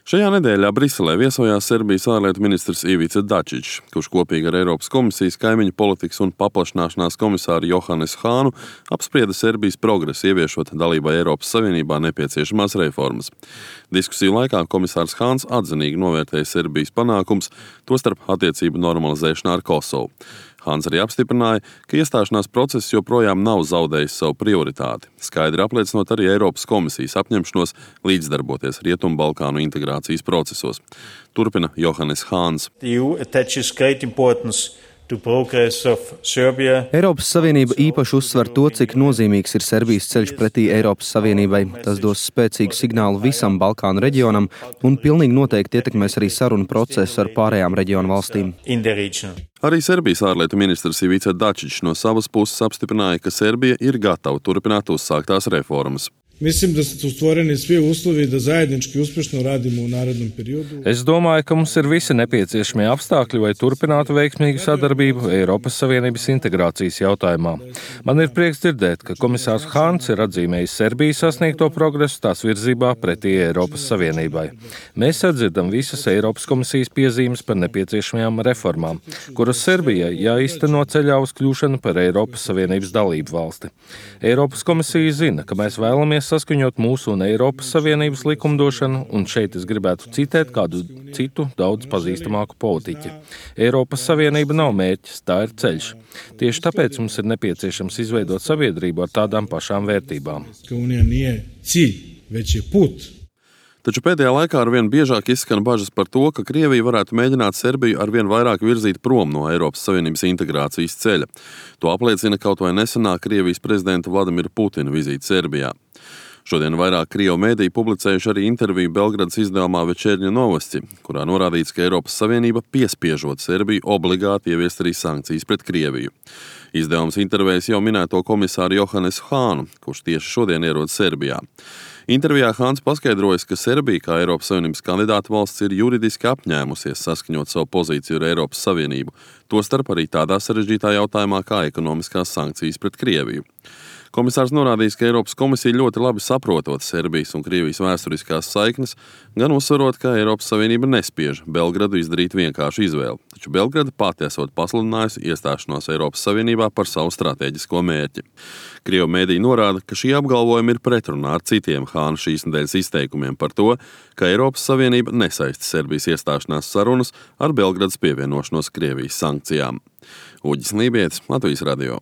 Šajā nedēļā Briselē viesojās Serbijas ārlietu ministrs Ivica Dačičs, kurš kopīgi ar Eiropas komisijas kaimiņu politikas un paplašināšanās komisāru Johannesu Hānu apsprieda Serbijas progresu, ieviešot dalībai Eiropas Savienībā nepieciešamās reformas. Diskusiju laikā komisārs Hāns atzinīgi novērtēja Serbijas panākums, tostarp attiecību normalizēšanā ar Kosovu. Hāns arī apstiprināja, ka iestāšanās process joprojām nav zaudējis savu prioritāti, skaidri apliecinot arī Eiropas komisijas apņemšanos līdzdarboties Rietumbalkānu integrācijas procesos. Turpina Johannes Hāns. Eiropas Savienība īpaši uzsver to, cik nozīmīgs ir Serbijas ceļš pretī Eiropas Savienībai. Tas dos spēcīgu signālu visam Balkānu reģionam un pilnīgi noteikti ietekmēs arī sarunu procesu ar pārējām reģionu valstīm. Arī Serbijas ārlietu ministrs Ivica Dačičs no savas puses apstiprināja, ka Serbija ir gatava turpināt uzsāktās reformas. Mislim da su stvoreni svi uslovi da zajednički uspešno radimo u narednom periodu. Es domāju, ka mums ir visi nepieciešamie apstākļi, lai turpinātu veiksmīgu sadarbību Eiropas Savienības integrācijas jautājumā. Man ir prieks dzirdēt, ka komisārs Hāns ir atzīmējis Serbijas sasniegto progresu tās virzībā pretī Eiropas Savienībai. Mēs sadzirdam visas Eiropas komisijas piezīmes par nepieciešamajām reformām, kuras Serbijai jāīsteno ceļā uz kļūšanu par Eiropas Savienības dalību valsti. Eiropas komisija zina, ka mēs vēlamies saskaņot mūsu un Eiropas Savienības likumdošanu, un šeit es gribētu citēt kādu citu daudz pazīstamāku politiķi. Eiropas Savienība nav mērķis, tā ir ceļš. Tieši tāpēc mums ir nepieciešams izveidot sabiedrību ar tādām pašām vērtībām. Taču pēdējā laikā arvien biežāk izskan bažas par to, ka Krievija varētu mēģināt Serbiju arvien vairāk virzīt prom no Eiropas Savienības integrācijas ceļa. To apliecina kaut vai nesenā Krievijas prezidenta Vladimira Putina vizīte Serbijā. Šodien vairāk Krievu mēdīji publicējuši arī interviju Belgradas izdevumā Večernja Novosti, kurā norādīts, ka Eiropas Savienība piespiežot Serbiju obligāti ieviest arī sankcijas pret Krieviju. Izdevums intervējas jau minēto komisāru Johannesu Hānu, kurš tieši šodien ierodas Serbijā. Intervijā Hāns paskaidrojas, ka Serbija kā Eiropas Savienības kandidāta valsts ir juridiski apņēmusies saskaņot savu pozīciju ar Eiropas Savienību, tostarp arī tādā sarežģītā jautājumā kā ekonomiskās sankcijas pret Krieviju. Komisārs norādījis, ka Eiropas komisija ļoti labi saprotot Serbijas un Krievijas vēsturiskās saiknes, gan uzsverot, ka Eiropas Savienība nespiež Belgradu izdarīt vienkāršu izvēli, taču Belgrada pati esot pasludinājusi iestāšanos Eiropas Savienībā par savu stratēģisko mērķi. Krievu mēdīji norāda, ka šī apgalvojuma ir pretrunā ar citiem Hāna šīs nedēļas izteikumiem par to, ka Eiropas Savienība nesaista Serbijas iestāšanās sarunas ar Belgradas pievienošanos Krievijas sankcijām. Uģis Lībietis, Latvijas radio.